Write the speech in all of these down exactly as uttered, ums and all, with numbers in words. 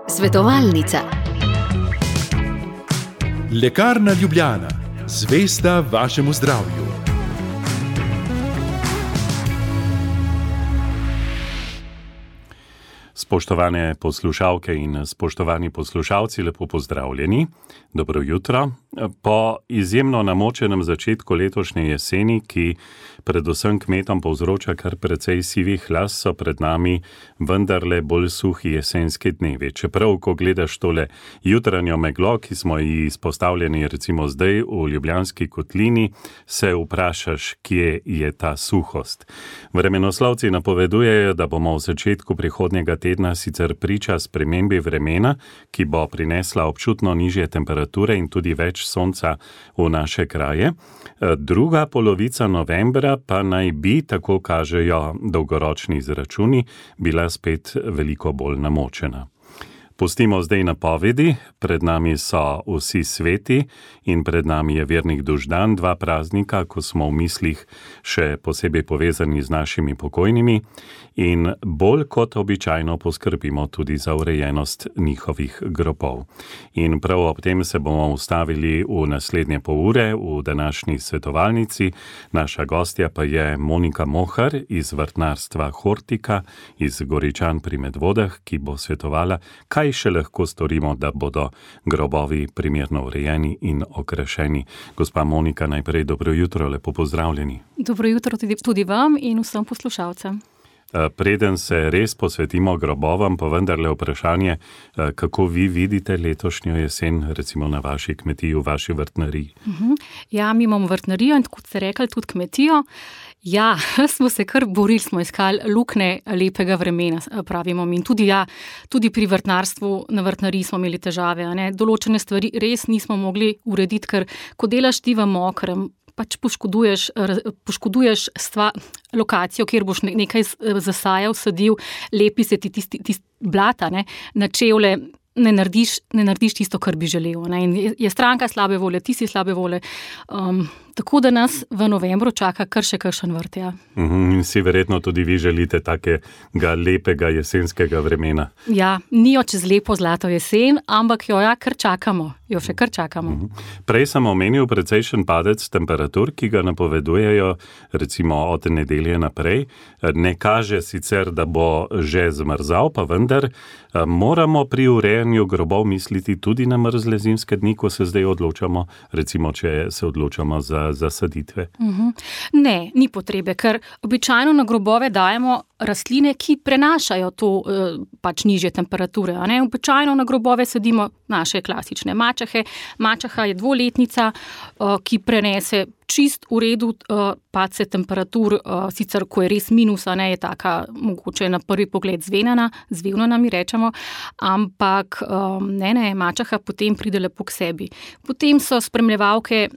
Svetovalnica. Lekarna Ljubljana, zvesta vašemu zdravju. Spoštovane poslušalke in spoštovani poslušalci, lepo pozdravljeni. Dobro jutro. Po izjemno namočenem začetku letošnje jeseni, ki predvsem kmetom povzroča kar precej sivih las, so pred nami vendarle bolj suhi jesenski dnevi. Čeprav, ko gledaš tole jutranjo meglo, ki smo ji izpostavljeni recimo zdaj v Ljubljanski kotlini, se vprašaš, kje je ta suhost. Vremenoslovci napovedujejo, da bomo v začetku prihodnjega tedna sicer priča spremembi vremena, ki bo prinesla občutno nižje temperature in tudi več sonca v naše kraje. Druga polovica novembra pa naj bi, tako kažejo dolgoročni izračuni, bila spet veliko bolj namočena. Pustimo zdaj napovedi, pred nami so vsi sveti in pred nami je vernik Duždan, dva praznika, ko smo v mislih še posebej povezani z našimi pokojnimi in bolj kot običajno poskrbimo tudi za urejenost njihovih grobov. In prav ob tem se bomo ustavili v naslednje pol ure v današnji svetovalnici. Naša gostja pa je Monika Mohar iz vrtnarstva Hortika iz Goričan pri Medvodah, ki bo svetovala, kaj še lahko storimo, da bodo grobovi primerno urejeni in okrašeni. Gospa Monika, najprej dobro jutro, lepo pozdravljeni. Dobro jutro tudi, tudi vam in vsem poslušalcem. Preden se res posvetimo grobovam, pa vendarle vprašanje, kako vi vidite letošnjo jesen, recimo na vaši kmetiji, v vaši vrtnariji? Uh-huh. Ja, mi imamo vrtnarijo in kot ste rekli, tudi kmetijo. Ja, smo se kar borili, smo iskali luknje lepega vremena, pravimo mi. In tudi, ja, tudi pri vrtnarstvu na vrtnariji smo imeli težave. A ne? Določene stvari res nismo mogli urediti, ker ko delaš ti v mokrem, pač poškoduješ, poškoduješ stva, lokacijo, kjer boš nekaj zasajal, sadil, lepi se ti tisti, tisti blata, ne, na čevlje, ne narediš, ne narediš tisto, kar bi želel. Ne. In je stranka slabe volje, ti si slabe volje. Um, tako da nas v novembru čaka kar še kakšen vrt, ja. Uhum, in si verjetno tudi vi želite takega lepega jesenskega vremena. Ja, ni jo čez lepo zlato jesen, ampak jo ja kar čakamo. Jo še kar čakamo. Uhum. Prej sem omenil precejšen padec temperatur, ki ga napovedujejo recimo od nedelje naprej. Ne kaže sicer, da bo že zmrzal, pa vendar moramo pri urejanju grobov misliti tudi na mrzle zimske dni, ko se zdaj odločamo, recimo, če se odločamo za zasaditve. Uhum. Ne, ni potrebe, ker običajno na grobove dajemo rastline, ki prenašajo to pač nižje temperature. A ne? Običajno na grobove sadimo naše klasične mačahe. Mačaha je dvoletnica, ki prenese čist v redu padce temperatur, sicer ko je res minus, a ne, je taka mogoče na prvi pogled zvenana, zvevnana mi rečemo, ampak ne, ne, mačaha potem pride lepo k sebi. Potem so spremljevalke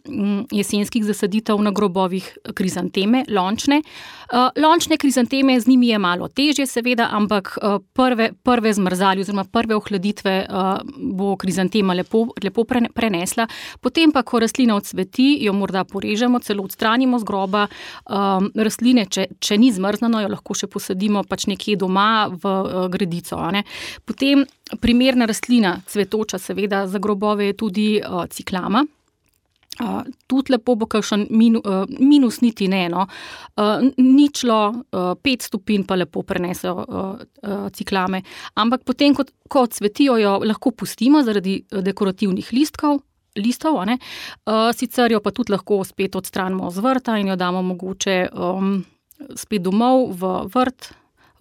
jesenskih zasaditev na grobovih krizanteme, lončne. Lončne krizanteme, z njimi je malo težje seveda, ampak prve, prve zmrzali oziroma prve ohladitve bo krizantema lepo, lepo prenesla. Potem pa, ko rastlina odsveti, jo morda porežemo, celo odstranimo z groba. Um, rastline, če, če ni zmrznano, jo lahko še posadimo pač nekje doma v uh, gredico. A ne? Potem primerna rastlina, cvetoča seveda, za grobove je tudi uh, ciklama. Uh, tudi lepo bo kakšen minu, uh, minus niti ne, no. Uh, ničlo, uh, pet stopinj pa lepo prenesejo uh, uh, ciklame. Ampak potem, ko, ko cvetijo, jo lahko pustimo zaradi dekorativnih listkov, listov, a ne. Uh, sicer jo pa tudi lahko spet odstranimo z vrta in jo damo mogoče um, spet domov v vrt,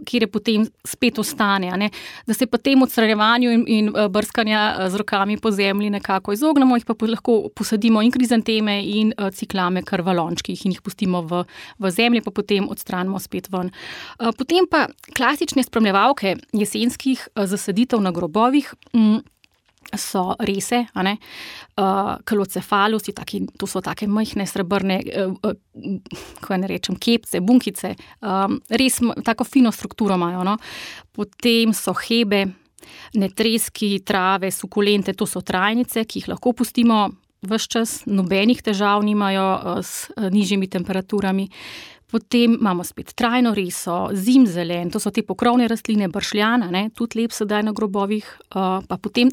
kjer je potem spet ostane, a ne. Da se pa tem odstranjevanju in, in brskanja z rokami po zemlji nekako izognemo, jih pa lahko posadimo in krizanteme in uh, ciklame kar v lončkih in jih pustimo v, v zemlji, pa potem odstranimo spet ven. Uh, potem pa klasične spremljevalke jesenskih uh, zasaditev na grobovih, um, so rese, a ne, uh, kalocefalusi, taki, to so take majhne srebrne, uh, uh, kako ne rečem, kepce, bunkice, um, res tako fino strukturo imajo, no. Potem so hebe, netreski, trave, sukulente, to so trajnice, ki jih lahko pustimo ves čas, nobenih težav nimajo uh, s uh, nižjimi temperaturami. Potem imamo spet trajno reso, zimzelen, to so te pokrovne rastline, bršljan, ne, tudi lep sedaj na grobovih. Uh, pa potem,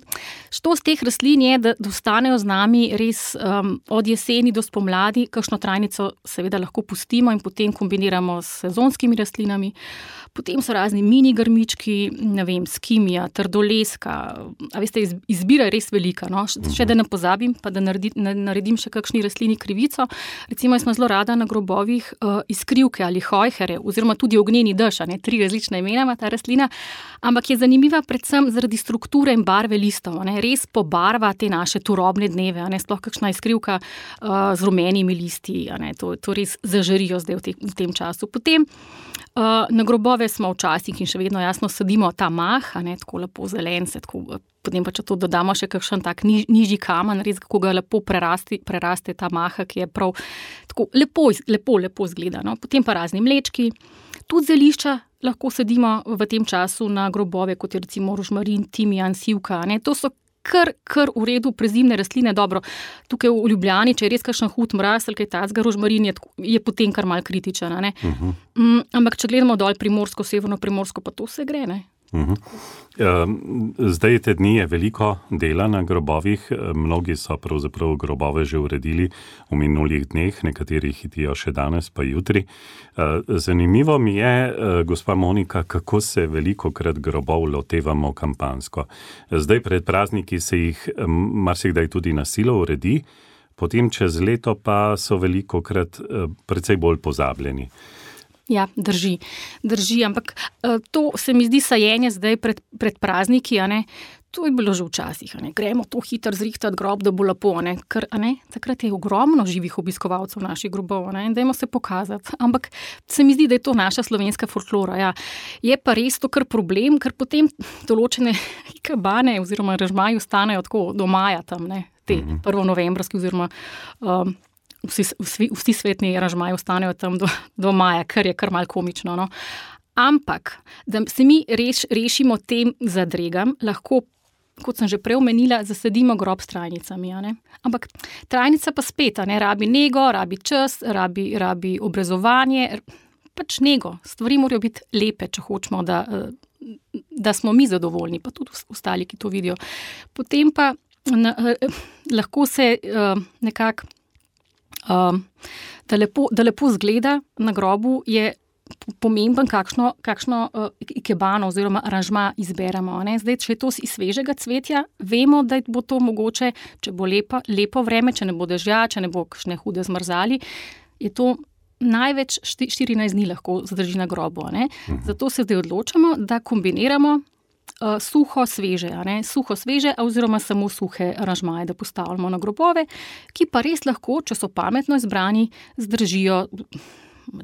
što z teh rastlin je, da, da ostanejo z nami res um, od jeseni do spomladi, kakšno trajnico seveda lahko pustimo in potem kombiniramo s sezonskimi rastlinami. Potem so razni mini grmički, ne vem, skimija, trdoleska, a veste, izbira je res velika, no? Še da ne pozabim, pa da naredi, naredim še kakšni rastlini krivico. Recimo, jaz sem zelo rada na grobovih uh, iskrivke ali hojhere, oziroma tudi ognjeni dež, ne, tri različne imena ima ta rastlina, ampak je zanimiva predvsem zaradi strukture in barve listov, ne? Res pobarva te naše turobne dneve, ne? Sploh kakšna iskrivka uh, z rumenimi listi, ne? To, to res zažarijo zdaj v, te, v tem času. Potem Uh, na grobove smo včasih in še vedno jasno sadimo ta mah, a ne, tako lepo zelen, se tako, potem pa če to dodamo še kakšen tak niž, nižji kamen, res kako ga lepo prerasti, preraste ta maha, ki je prav tako lepo, lepo, lepo zgleda. No. Potem pa razni mlečki, tudi zelišča lahko sadimo v tem času na grobove, kot je recimo rožmarin, timijan, sivka, a ne, to so kar, kar v redu prezimne rastline. Dobro, tukaj v Ljubljani, če je res kakšen hud mraz ali kaj tacga, rožmarin je, je potem kar mal kritičen. Ne? Uh-huh. Um, ampak če gledamo dol Primorsko, Severno Primorsko, pa to vse gre, ne? Uh-huh. Zdaj te dni je veliko dela na grobovih, mnogi so pravzaprav grobove že uredili v minulih dneh, nekateri hitijo še danes pa jutri. Zanimivo mi je, gospa Monika, kako se velikokrat grobov lotevamo kampansko. Zdaj pred prazniki se jih marsikdaj tudi na silo uredi, potem čez leto pa so velikokrat precej bolj pozabljeni. Ja, drži, drži, ampak to se mi zdi sajenje zdaj pred, pred prazniki, a ne, to je bilo že včasih, a ne, gremo to hitro zrihtati grob, da bo lepo, a ne, ker, a ne, takrat je ogromno živih obiskovalcev naših grobov, a ne, in dajmo se pokazati, ampak se mi zdi, da je to naša slovenska folklora, ja, je pa res to kar problem, ker potem določene ikebane oziroma aranžmaji ostanejo tako do maja tam, ne, te mm-hmm. prvonovembrski oziroma um, Vsi, vsi, vsi svetni aranžmaji ostanejo tam do, do maja, kar je kar malo komično. No. Ampak, da se mi reš, rešimo tem zadregam, lahko, kot sem že prej omenila, zasadimo grob s trajnicami. A ne? Ampak trajnica pa spet, a ne, rabi nego, rabi čas, rabi, rabi obrezovanje, pač nego. Stvari morajo biti lepe, če hočemo, da, da smo mi zadovoljni, pa tudi ostali, ki to vidijo. Potem pa na, lahko se nekako Um, da, lepo, da lepo zgleda na grobu, je pomemben, kakšno, kakšno uh, ikebano oziroma aranžma izberemo. Ne? Zdaj, če je to iz svežega cvetja, vemo, da bo to mogoče, če bo lepa, lepo vreme, če ne bo dežja, če ne bo kakšne hude zmrzali, je to največ štirinajst dni lahko zdrži na grobu. Ne? Zato se zdaj odločamo, da kombiniramo Uh, suho, sveže, a ne? Suho, sveže oziroma samo suhe aranžmaje, da postavljamo na grobove, ki pa res lahko, če so pametno izbrani, zdržijo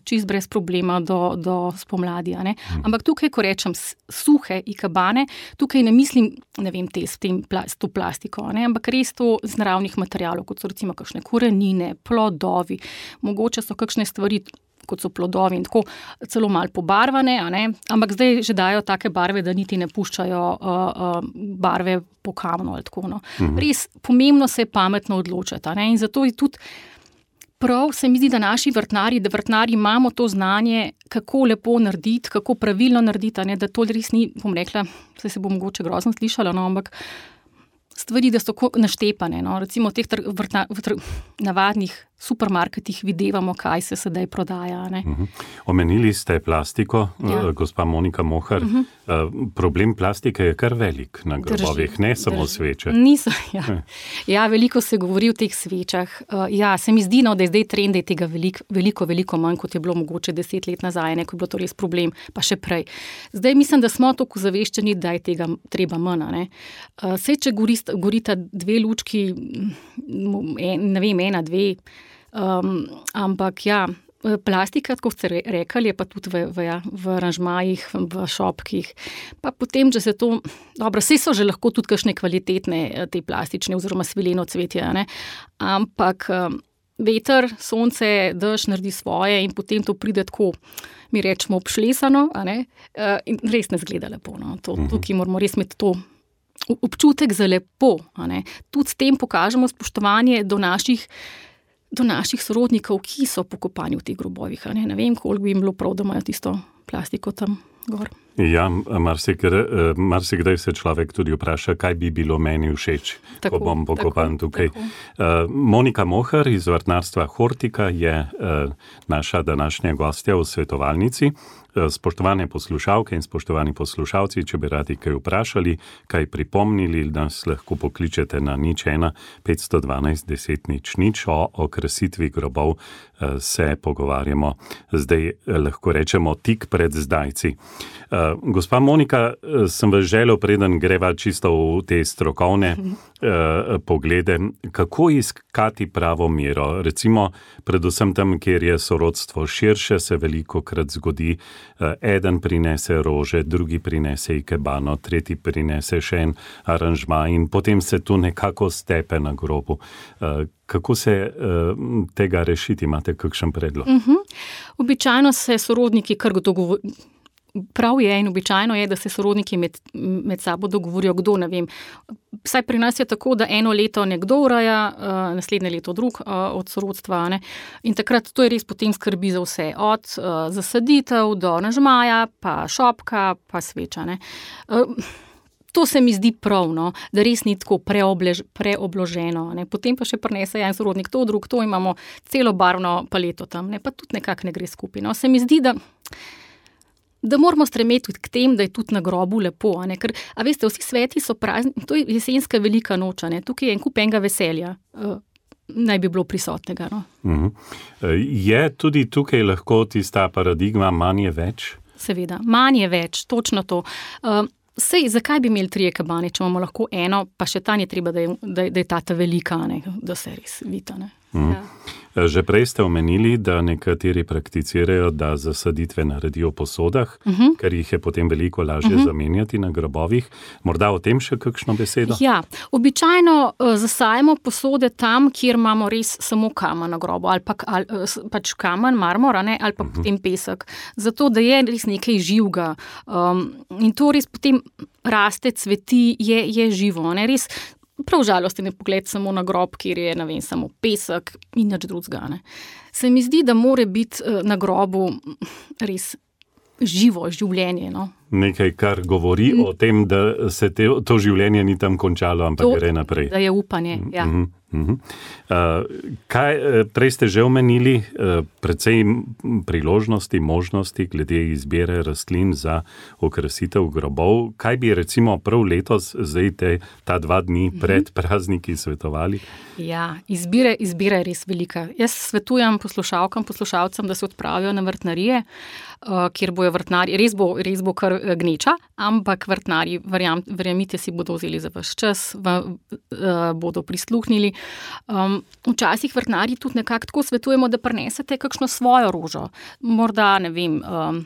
čist brez problema do, do spomladi. A ne? Ampak tukaj, ko rečem suhe ikebane, tukaj ne mislim, ne vem, te, s tem, s to plastiko, a ne? Ampak res to z naravnih materialov, kot so recimo kakšne korenine, plodovi, mogoče so kakšne stvari, kot so plodovi in tako celo malo pobarvane, a ne? Ampak zdaj že dajo take barve, da niti ne puščajo uh, uh, barve po kamnu ali tako. No. Uh-huh. Res pomembno se je pametno odločiti. A ne? In zato je tudi prav, se mi zdi, da naši vrtnari, da vrtnari imamo to znanje, kako lepo narediti, kako pravilno narediti, a ne? Da to res ni, bom rekla, se se bo mogoče grozno slišala, no, ampak stvari, da so naštepane. No. Recimo v teh tr- vrtna- v tr- navadnih supermarketih videvamo, kaj se sedaj prodaja. Ne? Uh-huh. Omenili ste plastiko, ja. Gospa Monika Mohar. Uh-huh. Uh, problem plastike je kar velik na grobovih, ne samo drži. Sveče. Niso, ja. ja, veliko se govori o teh svečah. Uh, ja, se mi zdi, no, da je zdaj trend, da je tega veliko, veliko, veliko manj, kot je bilo mogoče deset let nazaj, ne, ko je bilo to res problem, pa še prej. Zdaj mislim, da smo tako zaveščeni, da je tega treba manj. Ne, uh, sej, če gorista, gorita dve lučki, en, ne vem, ena, dve, Um, ampak ja, plastika, kot ste rekli, je pa tudi v, v, ja, v aranžmajih, v šopkih. Pa potem, če se to, dobro, vse so že lahko tudi kakšne kvalitetne te plastične oziroma svileno cvetje, ne? Ampak um, veter, sonce, dež naredi svoje in potem to pride tako, mi rečemo, obšlesano, a ne? Uh, in res ne zgleda lepo. No? To, tukaj moramo res imeti to občutek za lepo. A ne? Tudi s tem pokažemo spoštovanje do naših do naših sorodnikov, ki so pokopani v teh grobovih. Ne, ne vem, koliko bi jim bilo prav, da imajo tisto plastiko tam gor. Ja, marsikdaj, marsikdaj se človek tudi vpraša, kaj bi bilo meni všeč, tako, ko bom pokopan tako, tukaj. Tako. Monika Mohar iz vrtnarstva Hortika je naša današnja gostja v svetovalnici. Spoštovane poslušalke in spoštovani poslušalci, če bi radi kaj vprašali, kaj pripomnili, nas lahko pokličete na nič ena petsto dvanajst deset nič nič. O okrasitvi grobov se pogovarjamo zdaj, lahko rečemo, tik pred zdajci. Gospa Monika, sem vas želel, preden greva čisto v te strokovne uh, poglede, kako iskati pravo mero. Recimo, predvsem tam, kjer je sorodstvo širše, se veliko krat zgodi, uh, eden prinese rože, drugi prinese ikebano, tretji prinese še en aranžma in potem se tu nekako stepe na grobu. Uh, Kako se uh, tega rešiti? Imate kakšen predlog? Uh-huh. Običajno se sorodniki kar dogovorijo. Prav je in običajno je, da se sorodniki med, med sabo dogovorijo, kdo, ne vem. Vsaj pri nas je tako, da eno leto nekdo ureja, uh, naslednje leto drug uh, od sorodstva. Ne? In takrat to je res potem skrbi za vse. Od uh, zasaditev do nažmaja, pa šopka, pa sveča. Ne? Uh, To se mi zdi pravno, da res ni tako preoblež, preobloženo. Ne. Potem pa še prinese en sorodnik to, drug to, imamo celo barvno paleto tam, ne. Pa tudi nekako ne gre skupaj. No. Se mi zdi, da, da moramo stremeti k tem, da je tudi na grobu lepo. A, ne. Ker, a veste, vsi sveti so prazni, to je jesenska velika noč, ne. Tukaj je en kup enega veselja, uh, naj bi bilo prisotnega. No. Uh-huh. Je tudi tukaj lahko tista paradigma manj je več? Seveda, manj je več, točno to. Uh, Sej, zakaj bi imeli trije kabane, če imamo lahko eno, pa še ta ni treba, da je, da, da je tata velika, ne, da se res vita. Ne. Mm. Ja. Že prej ste omenili, da nekateri prakticirajo, da zasaditve naredijo po sodah, uh-huh. ker jih je potem veliko lažje uh-huh. zamenjati na grobovih. Morda o tem še kakšno besedo? Ja, običajno uh, zasajamo posode tam, kjer imamo res samo kamen na grobu, ali pa, ali, pač kamen, marmor, ne, ali pa uh-huh. potem pesek. Zato, da je res nekaj živega. Um, in to res potem raste, cveti, je, je živo. Ne, res prav žalosten je pogled samo na grob, kjer je, ne vem, samo pesek in nič drugega. Ne. Se mi zdi, da more biti na grobu res živo življenje. No. Nekaj, kar govori mm. o tem, da se te, to življenje ni tam končalo, ampak to, gre naprej. Da je upanje, ja. Mm-hmm. Uh, kaj, prej ste že omenili uh, precej priložnosti, možnosti glede izbire rastlin za okrasitev grobov. Kaj bi recimo prav letos, zdaj te, ta dva dni pred mm-hmm. prazniki svetovali? Ja, izbire, izbira je res velika. Jaz svetujem poslušalkam, poslušalcem, da se odpravijo na vrtnarije, uh, kjer bojo vrtnari, res bo, res bo kar gneča, ampak vrtnari, verjam, verjamite si, bodo vzeli za vaš čas, v, uh, bodo prisluhnili. Um, včasih vrtnari tudi nekako tako svetujemo, da prinesete kakšno svojo rožo. Morda, ne vem, um,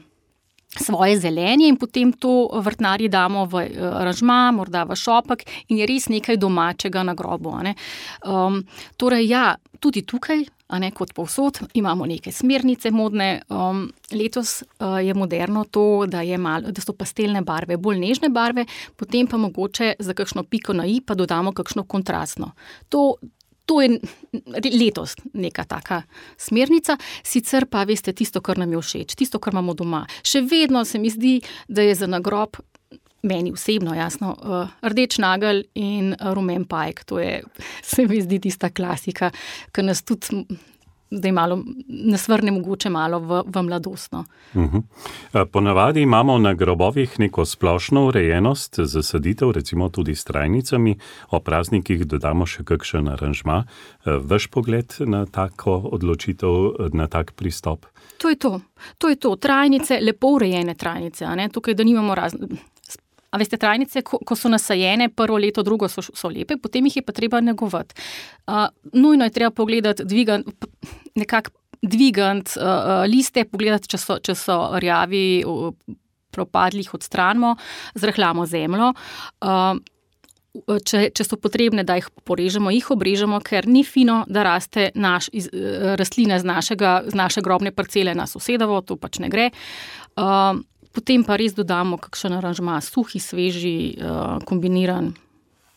svoje zelenje in potem to vrtnarji damo v aranžma, morda v šopek in je res nekaj domačega na grobu. A ne? Um, torej, ja, tudi tukaj, a ne, kot povsod, imamo neke smernice modne. Um, letos uh, je moderno to, da, je malo, da so pastelne barve, bolj nežne barve, potem pa mogoče za kakšno piko na i pa dodamo kakšno kontrastno. To To je letos neka taka smernica, sicer pa veste tisto, kar nam je všeč, tisto, kar imamo doma. Še vedno se mi zdi, da je za nagrob, meni osebno, jasno, rdeč nagelj in rumen pajek. To je, se mi zdi, tista klasika, ki nas tudi, da je malo, nas vrne mogoče malo v, v mladostno. Uh-huh. Ponavadi imamo na grobovih neko splošno urejenost zasaditev, recimo tudi s trajnicami, o praznikih dodamo še kakšen aranžma. Vaš pogled na tako odločitev, na tak pristop? To je to. To je to. Trajnice, lepo urejene trajnice, a ne? Tukaj, da nimamo razne. A veste, trajnice, ko, ko so nasajene, prvo leto, drugo so, so lepe, potem jih je pa treba negovati. Uh, nujno je treba pogledati, dvigant, nekako dvigant uh, liste, pogledati, če so, če so rjavi, uh, propadli, jih odstranimo, zrahljamo zemljo. Uh, če, če so potrebne, da jih porežemo, jih obrežemo, ker ni fino, da raste naš, iz, rastlina z, našega, z naše grobne parcele na sosedovo, to pač ne gre. Uh, Potem pa res dodamo kakšen aranžma, suhi, sveži, kombiniran.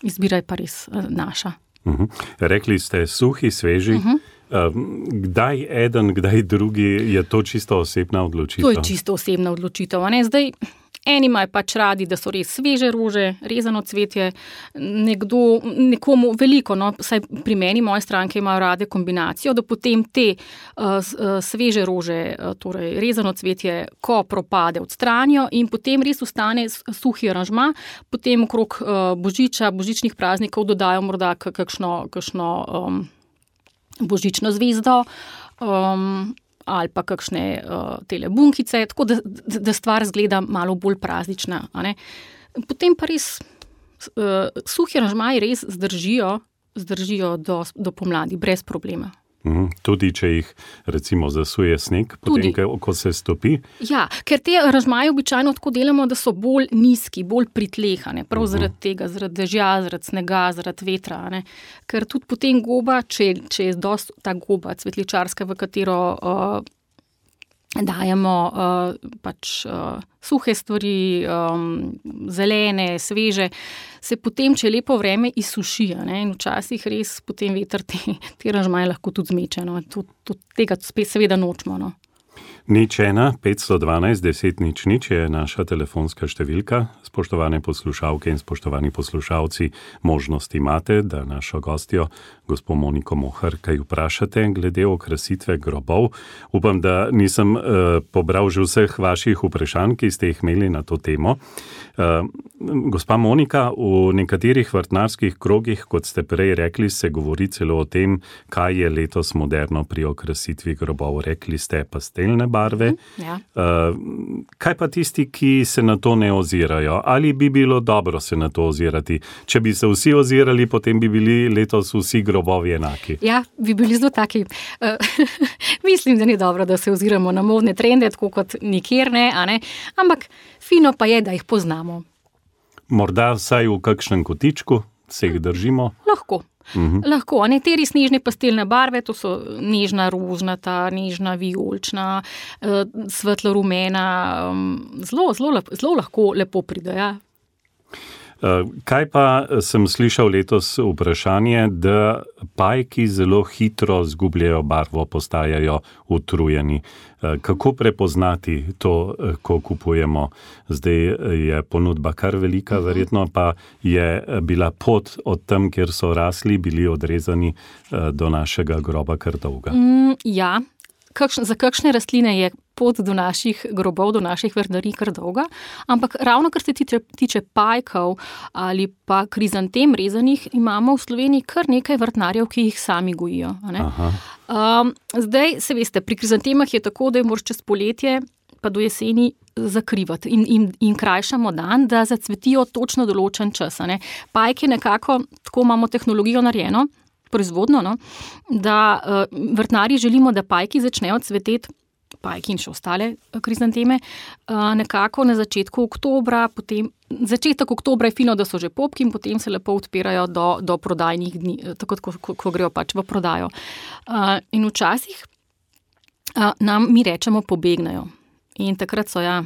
Izbira je pa res naša. Uh-huh. Rekli ste suhi, sveži. Uh-huh. Kdaj eden, kdaj drugi, je to čisto osebna odločitev? To je čisto osebna odločitev. A ne? Zdaj, eni imajo pač radi, da so res sveže rože, rezano cvetje, nekdo, nekomu veliko, no, saj pri meni, moje stranke imajo rade kombinacijo, da potem te uh, sveže rože, uh, torej rezano cvetje, ko propade, odstranijo in potem res ostane suhi aranžma, potem okrog uh, božiča, božičnih praznikov dodajo morda kakšno, kakšno um, božično zvezdo, um, ali pa kakšne uh, tele bunkice, tako da, da stvar zgleda malo bolj praznična. A ne? Potem pa res uh, suhi aranžmaji res zdržijo, zdržijo do, do pomladi, brez problema. Mhm. Tudi, če jih recimo zasuje sneg, potem, ko se stopi? Ja, ker te aranžmaje običajno tako delamo, da so bolj nizki, bolj pritlehane, prav uh-huh. zaradi tega, zaradi dežja, zaradi snega, zaradi vetra. Ne? Ker tudi potem goba, če, če je dost ta goba cvetličarska, v katero uh, dajemo uh, pač uh, suhe stvari, um, zelene, sveže, se potem, če je lepo vreme, izsuši. Ne? In včasih res potem veter te, te aranžmaje lahko tudi zmeče. No? Tud, tud tega spet seveda nočemo. No? Nič ena, petsto dvanajst, deset nič nič je naša telefonska številka. Spoštovane poslušalke in spoštovani poslušalci, možnost imate, da našo gostjo, gospo Moniko Mohar, kaj vprašate glede okrasitve grobov. Upam, da nisem uh, pobral že vseh vaših vprašanj, ki ste jih imeli na to temo. Uh, gospa Monika, v nekaterih vrtnarskih krogih, kot ste prej rekli, se govori celo o tem, kaj je letos moderno pri okrasitvi grobov. Rekli ste pastelne barve. Ja. Uh, kaj pa tisti, ki se na to ne ozirajo? Ali bi bilo dobro se na to ozirati? Če bi se vsi ozirali, potem bi bili letos vsi grobovi enaki. Ja, bi bili zelo taki. Uh, mislim, da ni dobro, da se oziramo na modne trende, tako kot nikjer ne, a ne. Ampak fino pa je, da jih poznamo. Morda vsaj v kakšnem kotičku se jih držimo? Lahko. Uh-huh. Lahko, a nekateri snežne pastelne barve, to so nežna rožnata, nežna vijolična, uh, svetlo rumena, um, zelo, zelo, zelo lahko lepo pride, ja. Kaj pa sem slišal letos vprašanje, da pajki zelo hitro zgubljajo barvo, postajajo utrujeni. Kako prepoznati to, ko kupujemo? Zdaj je ponudba kar velika, verjetno pa je bila pot od tam, kjer so rasli, bili odrezani do našega groba kar dolga. Mm, ja. Kakšne, za kakšne rastline je pot do naših grobov, do naših vrtnarij kar dolga, ampak ravno kar se tiče, tiče pajkov ali pa krizantem rezanih, imamo v Sloveniji kar nekaj vrtnarjev, ki jih sami gojijo. Ne? Um, zdaj, se veste, pri krizantemah je tako, da je moraš čez poletje pa do jeseni zakrivati in, in, in krajšamo dan, da zacvetijo točno določen čas. Ne? Pajke nekako, tako imamo tehnologijo narejeno, proizvodno, no, da uh, vrtnarji želimo, da pajki začnejo cveteti, pajki in še ostale krizanteme, uh, nekako na začetku oktobra, potem začetek oktobra je fino, da so že popki in potem se lepo odpirajo do, do prodajnih dni, tako ko, ko, ko grejo pač v prodajo. Uh, in včasih uh, nam mi rečemo pobegnajo. In takrat so ja,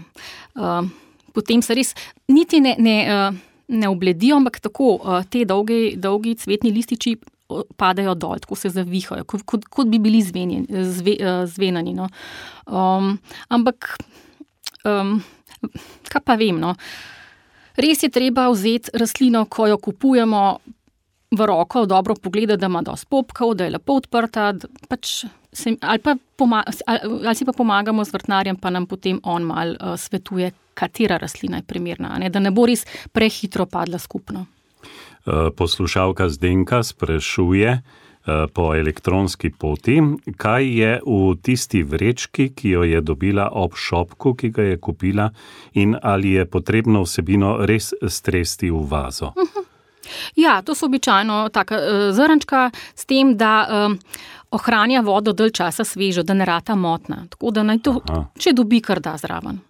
uh, potem se res niti ne, ne, uh, ne obledijo, ampak tako uh, te dolgi, dolgi cvetni lističi padajo dol, tako se zavihajo, kot, kot, kot bi bili zvenjeni, zve, zvenani. No. Um, ampak, um, kaj pa vem, no. Res je treba vzeti rastlino, ko jo kupujemo v roko, dobro pogledati, da ima dosti popkov, da je lepo odprta, pač se, ali, pa poma, ali, ali si pa pomagamo z vrtnarjem, pa nam potem on mal uh, svetuje, katera rastlina je primerna, ne, da ne bo res prehitro padla skupno. Poslušalka Zdenka sprašuje po elektronski poti, kaj je v tisti vrečki, ki jo je dobila ob šopku, ki ga je kupila, in ali je potrebno vsebino res stresti v vazo. Uh-huh. Ja, to so običajno taka uh, zrnčka s tem, da uh, ohranja vodo dalj časa svežo, da ne rata motna. Tako da naj to, Aha. če dobi, kar da zraven.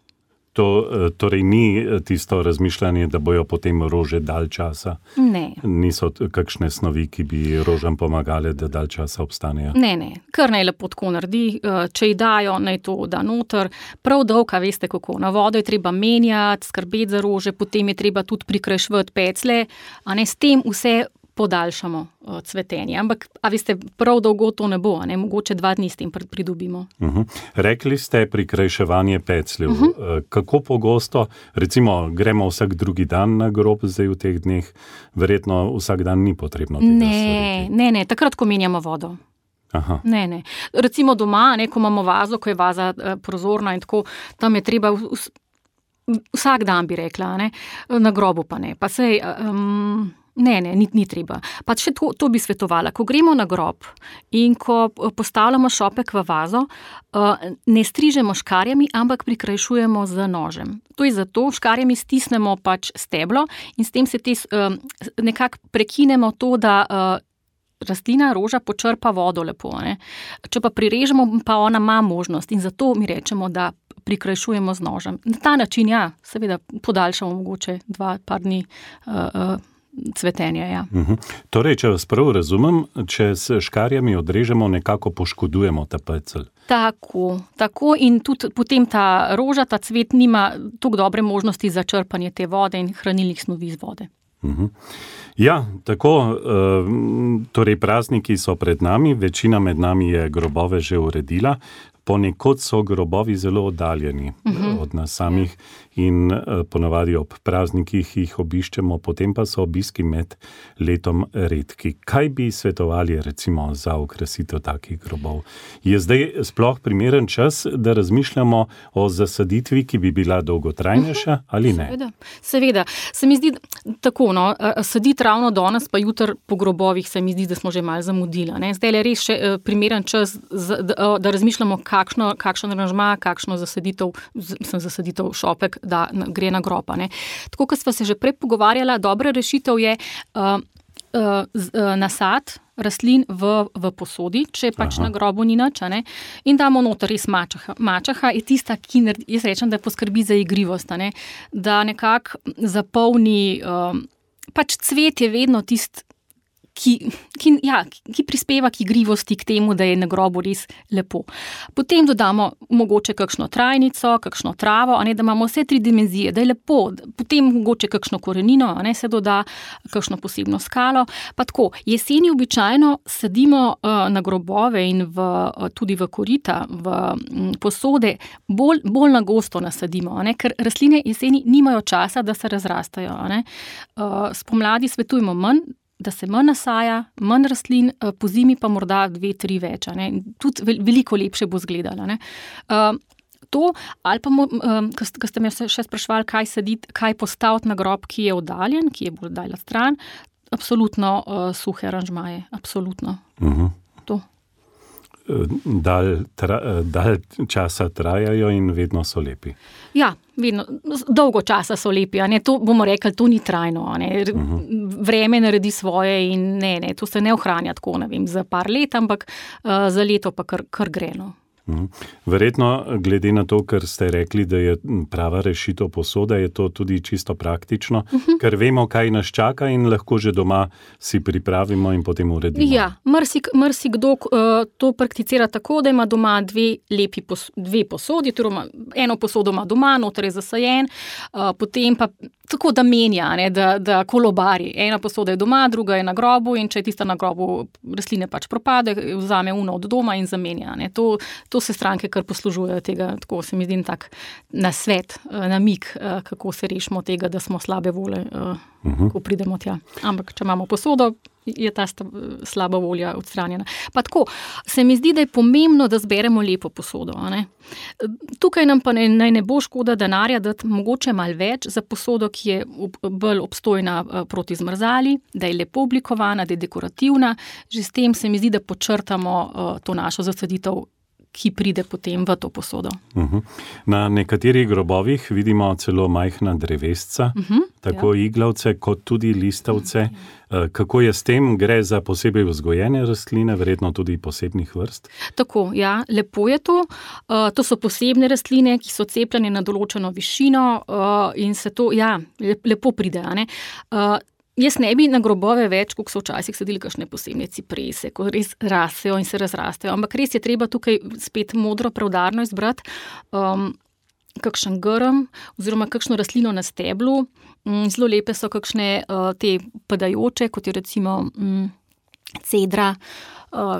To torej ni tisto razmišljanje, da bojo potem rože dalj časa? Ne. Niso kakšne snovi, ki bi rožam pomagale, da dalj časa obstanejo? Ne, ne. Kar naj lepo tako naredi. Če ji dajo, naj to da noter. Prav dolga, veste kako. Na vodo je treba menjati, skrbeti za rože, potem je treba tudi prikrajšvati peclje. A ne, s tem vse podaljšamo uh, cvetenje. Ampak, a veste, prav dolgo to ne bo, ne? Mogoče dva dni s tem pridobimo. Uh-huh. Rekli ste prikrajševanje pecljev. Uh-huh. Kako pogosto, recimo, gremo vsak drugi dan na grob zdaj v teh dneh, verjetno vsak dan ni potrebno tega ne, storiti? Ne, ne, takrat, ko menjamo vodo. Aha. Ne, ne. Recimo doma, ne, ko imamo vazo, ko je vaza uh, prozorna in tako, tam je treba vs, vsak dan, bi rekla, ne? Na grobu pa ne. Pa sej, um, Ne, ne, ni, ni treba. Pa še to, to bi svetovala. Ko gremo na grob in ko postavljamo šopek v vazo, ne strižemo škarjami, ampak prikrajšujemo z nožem. To je zato, škarjami stisnemo pač steblo in s tem se te, nekako prekinemo to, da rastlina, roža počrpa vodo lepo. Ne? Če pa prirežemo, pa ona ima možnost in zato mi rečemo, da prikrajšujemo z nožem. Na ta način, ja, seveda podaljšamo mogoče dva, par dni uh, uh, cvetenja, ja. Uh-huh. Torej, če vas prav razumem, če s škarjami odrežemo, nekako poškodujemo ta pecelj. Tako, tako in tudi potem ta roža, ta cvet nima toliko dobre možnosti za črpanje te vode in hranilnih snovi iz vode. Uh-huh. Ja, tako, torej prazniki so pred nami, večina med nami je grobove že uredila, ponekod so grobovi zelo oddaljeni uh-huh. od nas samih in ponavadi ob praznikih jih obiščemo, potem pa so obiski med letom redki. Kaj bi svetovali recimo za okrasitev takih grobov? Je zdaj sploh primeren čas, da razmišljamo o zasaditvi, ki bi bila dolgotrajnejša uh-huh. ali ne? Seveda, seveda. Se mi zdi tako, no, saditi ravno danes, pa jutri po grobovih se mi zdi, da smo že malo zamudili. Ne? Zdaj je res še primeren čas, da, da razmišljamo, kakšno, kakšen aranžma, kakšno zasaditev, sem zasaditev šopek, da gre na grob. Ne. Tako, kot sva se že prej pogovarjala, dobra rešitev je uh, uh, z, uh, nasad rastlin v, v posodi, če pač Aha. Na grobu ni nič, ne, in damo noter res mačaha. Mačaha je tista, ki, jaz rečem, da poskrbi za igrivost, ne, da nekako zapolni, um, pač cvet je vedno tist, Ki, ki, ja, ki prispeva k igrivosti, k temu, da je na grobu res lepo. Potem dodamo mogoče kakšno trajnico, kakšno travo, a ne, da imamo vse tri dimenzije, da je lepo. Potem mogoče kakšno korenino, a ne, se doda kakšno posebno skalo. Pa tako, jeseni običajno sadimo uh, na grobove in v, uh, tudi v korita, v um, posode, bolj, bolj na gosto nasadimo, a ne, ker rastline jeseni nimajo časa, da se razrastajo. A ne. Uh, spomladi svetujemo manj, da se manj nasaja, manj rastlin, po zimi pa morda dve, tri več. Ne? Tudi veliko lepše bo izgledalo. Ne? Uh, to, ali pa, um, ko ste me še spraševali, kaj saditi, kaj postaviti na grob, ki je oddaljen, ki je bolj dalj stran, absolutno uh, suhe aranžmaje, absolutno. Uh-huh. To. Dalj, tra, dalj časa trajajo in vedno so lepi. Ja, vedno, dolgo časa so lepi, a ne, to bomo rekli, to ni trajno, a ne, uh-huh. vreme naredi svoje in ne, ne, to se ne ohranja tako, ne vem, za par let, ampak uh, za leto pa kar, kar greno. Verjetno, glede na to, kar ste rekli, da je prava rešitev posoda, je to tudi čisto praktično, uh-huh. ker vemo, kaj nas čaka in lahko že doma si pripravimo in potem uredimo. Ja, mrsik, mrsikdo uh, to prakticira tako, da ima doma dve lepi pos, dve posodi, torej eno posodo ima doma, noter je zasajen, uh, potem pa tako, da menja, ne, da, da kolobari. Ena posoda je doma, druga je na grobu in če je tista na grobu, rastline pač propade, vzame uno od doma in zamenja. Ne. To, to se stranke kar poslužujejo tega, tako se mi zdi tak nasvet, namig, kako se rešimo tega, da smo slabe vole, uh-huh. ko pridemo tja. Ampak, če imamo posodo, je ta slaba volja odstranjena. Pa tako, se mi zdi, da je pomembno, da zberemo lepo posodo. A ne? Tukaj nam pa ne, ne bo škoda denarja dati mogoče malo več za posodo, ki je bolj obstojna proti zmrzali, da je lepo oblikovana, da je dekorativna. Že s tem se mi zdi, da počrtamo uh, to našo zasaditev, ki pride potem v to posodo. Uh-huh. Na nekaterih grobovih vidimo celo majhna drevesca, uh-huh, tako ja. Iglavce kot tudi listavce. Uh-huh. Kako je s tem? Gre za posebej vzgojene rastline, verjetno tudi posebnih vrst? Tako, ja, lepo je to. Uh, to so posebne rastline, ki so cepljene na določeno višino uh, in se to, ja, lepo pride, a ne? Uh, Jaz ne bi na grobove več, kot so včasih sadili kakšne posebne ciprese, ko res rasejo in se razrastejo, ampak res je treba tukaj spet modro, preudarno izbrati um, kakšen grm oziroma kakšno rastlino na steblu, Zelo lepe so kakšne te padajoče, kot je recimo cedra,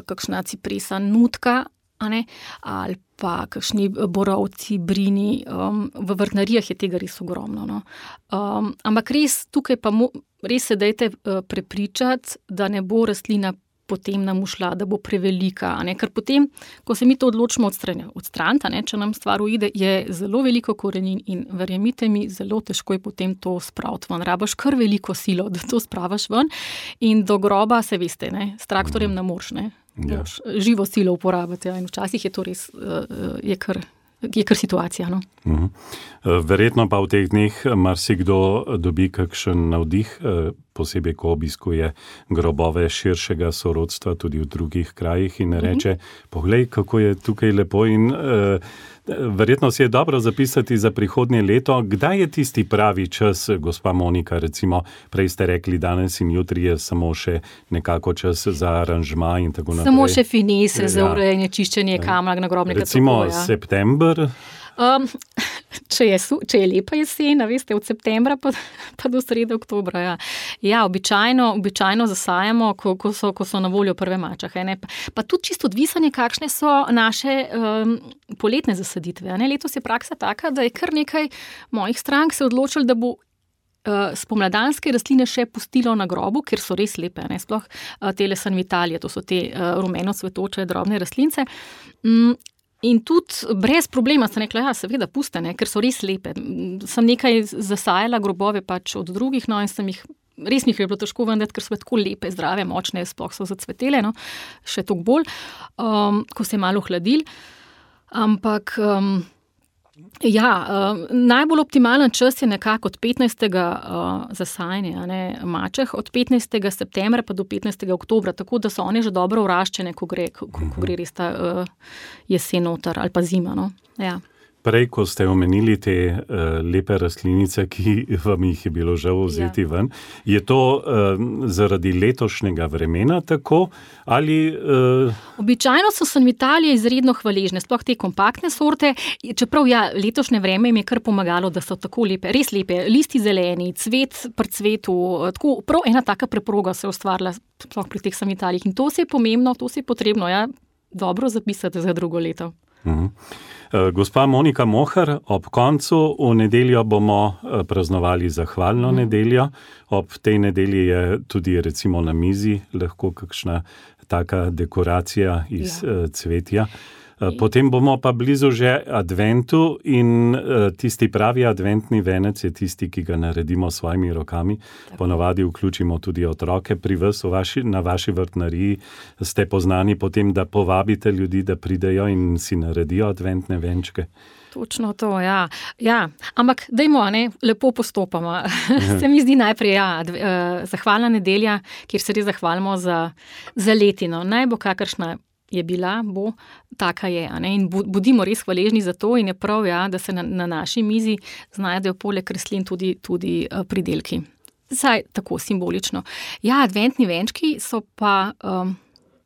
kakšna cipresa, nutka, a ne, ali pa kakšni borovci, brini. V vrtnarijah je tega res ogromno. No. Ampak res tukaj pa mo, res se dajte prepričati, da ne bo rastlina potem nam ušla, da bo prevelika, a ne? Ker potem, ko se mi to odločimo odstraniti, če nam stvar uide, je zelo veliko korenin in verjemite mi, zelo težko je potem to spraviti ven. Rabaš kar veliko silo, da to spravaš ven in do groba, se veste, ne? S traktorjem ne moreš, ne? Ja. Živo silo uporabiti, ja? In včasih je to res, je kar, je kar situacija, no? Uh-huh. Verjetno pa v teh dneh marsikdo dobi kakšen navdih, posebej ko obiskuje grobove širšega sorodstva tudi v drugih krajih in reče, poglej, kako je tukaj lepo in uh, verjetno si je dobro zapisati za prihodnje leto. Kdaj je tisti pravi čas, gospa Monika, recimo, prej ste rekli danes in jutri je samo še nekako čas za aranžma in tako naprej. Samo še finese, ja. Za urejanje, čiščenje kamna, nagrobnega recimo topoja. Recimo september? Um, če, je, če je lepa jesen, veste, od septembra pa, pa do srede oktobra. Ja, ja običajno, običajno zasajamo, ko, ko, so, ko so na voljo prve mačahe. Ne? Pa, pa tudi čisto odvisanje, kakšne so naše um, poletne zasaditve. Ne? Letos je praksa taka, da je kar nekaj mojih strank se odločili, da bo Uh, spomladanske rastline še pustilo na grobu, ker so res lepe, ne? Sploh uh, tele sanvitalije, to so te uh, rumeno cvetoče drobne rastlince. Mm, in tudi brez problema sem rekla, ja, seveda puste, ne? Ker so res lepe. Sem nekaj zasajala grobove pač od drugih, no, in sem jih, res mi jih je bilo težko vendeti, ker so tako lepe, zdrave, močne, sploh so zacvetele, no? Še toliko bolj, um, ko se je malo hladil. Ampak um, ja, uh, najbolj optimalen čas je nekako od petnajstega Uh, zasajanja, ne, mačeh, od petnajstega septembra pa do petnajstega oktobra, tako da so one že dobro vraščene, ko gre, ko, ko gre res ta uh, jesen noter ali pa zima. No? Ja. Prej, ko ste omenili te uh, lepe rastlinice, ki vam jih je bilo žal vzeti ja. ven, je to uh, zaradi letošnjega vremena tako ali... Uh... Običajno so sanvitalije izredno hvaležne, sploh te kompaktne sorte, čeprav ja, letošnje vreme jim je kar pomagalo, da so tako lepe, res lepe, listi zeleni, cvet pri cvetu, tako, prav ena taka preproga se je ustvarila sploh pri teh sanvitalijih in to se je pomembno, to se je potrebno, ja, dobro zapisati za drugo leto. Uh-huh. Gospa Monika Mohar, ob koncu v nedeljo bomo praznovali zahvalno mm. nedeljo. Ob tej nedelji je tudi recimo na mizi lahko kakšna taka dekoracija iz ja. cvetja. Potem bomo pa blizu že adventu in tisti pravi adventni venec je tisti, ki ga naredimo s svojimi rokami. Ponavadi vključimo tudi otroke. Pri vas vaši, na vaši vrtnariji ste poznani potem, da povabite ljudi, da pridejo in si naredijo adventne venčke. Točno to, ja. ja. Ampak dajmo, ne, lepo postopamo. Se mi zdi najprej, ja, dv, uh, zahvalna nedelja, kjer se res zahvalimo za, za letino. Naj bo kakršna je bila, bo, taka je. Ne? In bodimo res hvaležni za to in je prav, ja, da se na, na naši mizi znajdejo poleg rastlin tudi, tudi uh, pridelki. Saj tako simbolično. Ja, adventni venčki so pa um,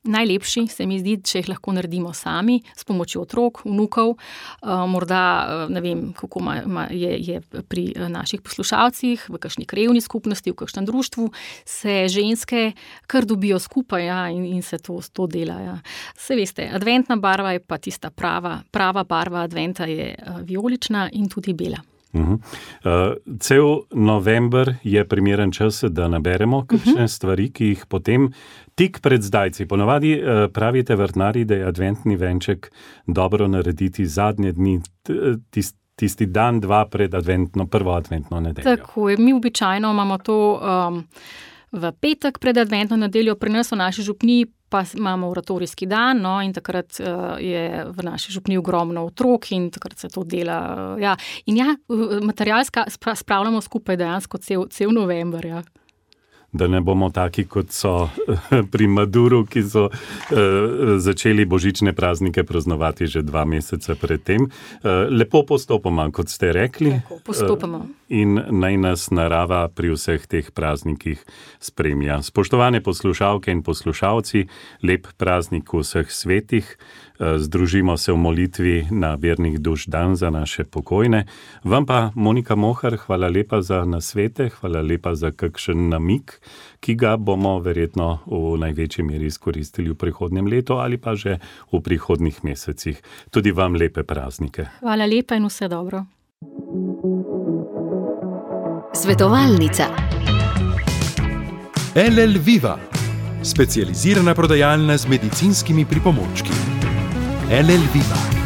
najlepši, se mi zdi, če jih lahko naredimo sami, s pomočjo otrok, vnukov, uh, morda, uh, ne vem, kako ma, ma je, je pri naših poslušalcih, v kakšni krajevni skupnosti, v kakšnem društvu, se ženske kar dobijo skupaj, ja, in, in se to, to dela. Ja. Se veste, adventna barva je pa tista prava, prava barva adventa je uh, vijolična in tudi bela. Uh-huh. Uh, cel november je primeren čas, da naberemo kakšne uh-huh. stvari, ki jih potem tik pred zdajci. Ponavadi uh, pravite vrtnari, da je adventni venček dobro narediti zadnje dni, tisti, tisti dan, dva pred adventno, prvo adventno nedeljo. Tako je, mi običajno imamo to um, v petek pred adventno nedeljo, pri nas v naši župniji pa imamo oratorijski dan, no, in takrat uh, je v naši župniji ogromno otrok in takrat se to dela. Uh, ja. In ja, material spravljamo skupaj dejansko cel, cel november, ja. Da ne bomo taki, kot so pri Maduru, ki so uh, začeli božične praznike praznovati že dva meseca pred tem. Uh, lepo postopoma, kot ste rekli. Tako, postopoma. Uh, in naj nas narava pri vseh teh praznikih spremlja. Spoštovane poslušalke in poslušalci, lep praznik vseh svetih. Združimo se v molitvi na vernih duš dan za naše pokojne. Vam pa, Monika Mohar, hvala lepa za nasvete, hvala lepa za kakšen namig, ki ga bomo verjetno v največji meri izkoristili v prihodnjem letu ali pa že v prihodnih mesecih. Tudi vam lepe praznike. Hvala lepa in vse dobro. Svetovalnica. el el Viva, specializirana prodajalna z medicinskimi pripomočki. el el Viva.